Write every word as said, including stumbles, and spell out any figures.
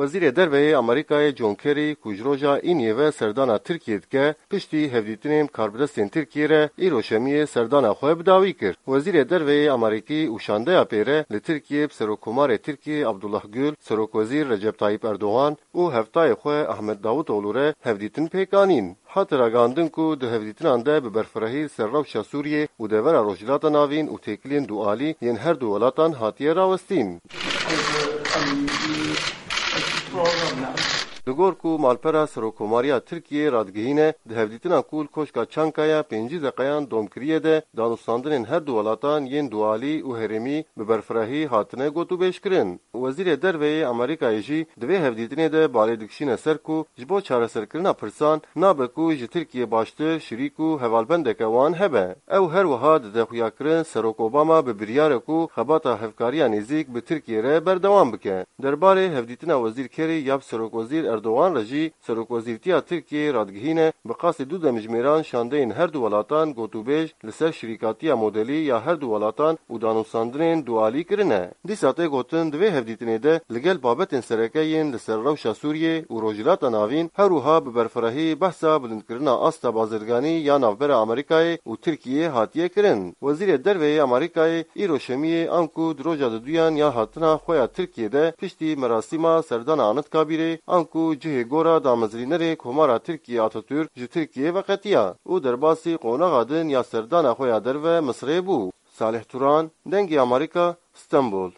Wezîrê Derve yê Amerîkayê John Kerry, ku ji roja Îniyê ve serdana Tirkiyê dike, piştî hevdîtinên bi karbidestên Tirkiyê re îro Şemiyê serdana xwe bi dawî kir. Wezîrê Derve yê Amerîkî û şandeya pê re li Tirkiyê bi Serokkomarê Tirkiyê Abdullah Gül, Serokwezîr Recep Tayyip Erdogan û hevtayê xwe Ahmet Davutoğlu re hevdîtin pêk anîn. Hate ragihandin ku di hevdîtinan de bi berfirehî li ser rewşa Sûriyê û devera Rojhilata Navîn û têkiliyên dualî yên her du welatan hatiye rawestîn. Li gor ku malpera Serokkomariya Tirkiyê radigihîne, di hevdîtina ku li Koşka Çankaya pêncî deqeyan dom kiriye de, danûstandinên her du welatan yên dualî û herêmî bi berfirehî hatine gotûbêjkirin. Wezîrê Derve yê Amerîkayê jî di vê hevdîtinê de balê dikişîne ser ku ji bo çareserkirina pirsan nabe ku ji Tirkiyê baştir şirîk û hevalbendeke wan hebe. Ew her wiha dide xuyakirin Serok Obama bi biryar e ku xebata hevkariya nêzîk bi Tirkiyê re berdewam bike. Derbarê hevdîtina Wezîr Kerry ya bi Serokwezîr Erdogan re jî Serokwezîrtiya Tirkiyeyê radigihîne, bi qasî du demjimêran şandeyên her du welatan gotûbêj li ser şirîkatiya modelî ya her du welatan û danûstandinên dualî kirine. Dîsa tê gotin, di vê hevdîtinê de li gel babetên sereke yên li ser rewşa Sûriyê û Rojhilata Navîn, her wiha bi berfirehî behsa bilindkirina asta bazirganî ya navbera Amerîkayê û Tirkiyeyê hatiye kirin. Wezîrê Derve yê Amerîkayê îro Şemiyê, anku di roja diduyan ya hatina xwe ya Tirkiyê de, piştî merasîma serdana Anitkabîrê, anku cihê gora damezrînerê Komara Tirkiyê Atatürk ji Tirkiyeyê veqetiya û derbasî qonaxa din ya serdana xwe ya derve Misirê bû. Salih Turan, Dengê Amerîka, Stenbol.